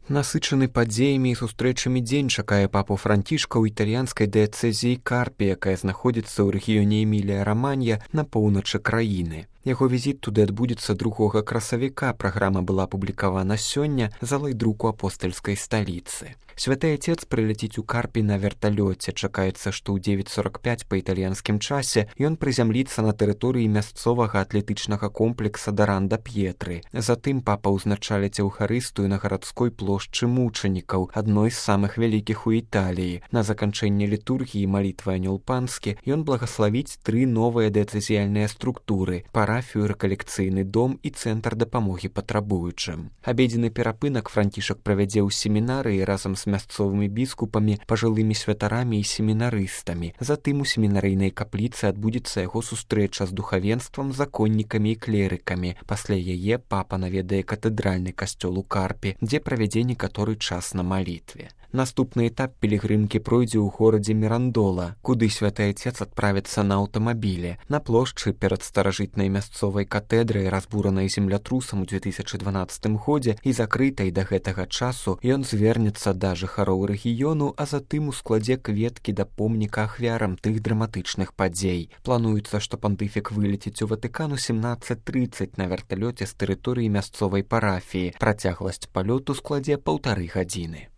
Насычаны падзеямі і сустрэчамі дзень чакае папу Францішка ў італьянскай дыяцэзіі Карпі, якая знаходзіцца ў рэгіёне Эмілія-Раманья на поўначы краіны. Яго візіт туды адбудзецца 2 красавіка. Праграма была апублікавана сёння за лайдруку апостальскай сталіцы. Святы Отец прыляціць у Карпі на верталёце. Чакаецца, што ў 9:45 па італьянскім часе ён прызямліцца на тэрыторыі мясцовага атлетычнага комплекса Даранда П'етры. Затым папа ўзначаліць эўхарыстыю на гарадской плошчы мучанікаў, адной з самых вялікіх у Італіі. На заканчэнне літургіі малітвы Анёл Панскі ён благаславіць 3 новыя дыяцэзіяльныя структуры: парафію, рэкалекцыйны дом і цэнтр дапамогі патрабуючым. Абедзены перапынак Францішак правядзе ў семінарыі разам з мясцовымі біскупамі, пажылымі святарамі і семінарыстамі. Затым у семінарыйнай капліцы адбудзецца яго сустрэча з духавенствам, законнікамі і клерыкамі. Пасля яе папа наведае катэдральны касцёл у Карпі, дзе правядзе некаторы час на малітве. Наступны этап пілігрымкі пройдзе ў горадзе Мірандола, куды святы Отец адправіцца на аўтамабілі. На плошчы перад старажытнай мясцовай катэдрай, разбуранай землятрусам у 2012 годзе і закрытай да гэтага часу, ён звернецца да жыхароў рэгіёну, а затым ускладзе кветкі да помніка ахвярам тых драматычных падзей. Плануецца, што пантыфік вылеціць у Ватыкан у 17:30 на верталёце з тэрыторыі мясцовай парафіі. Працягласць палёту складзе 1,5 гадзіны.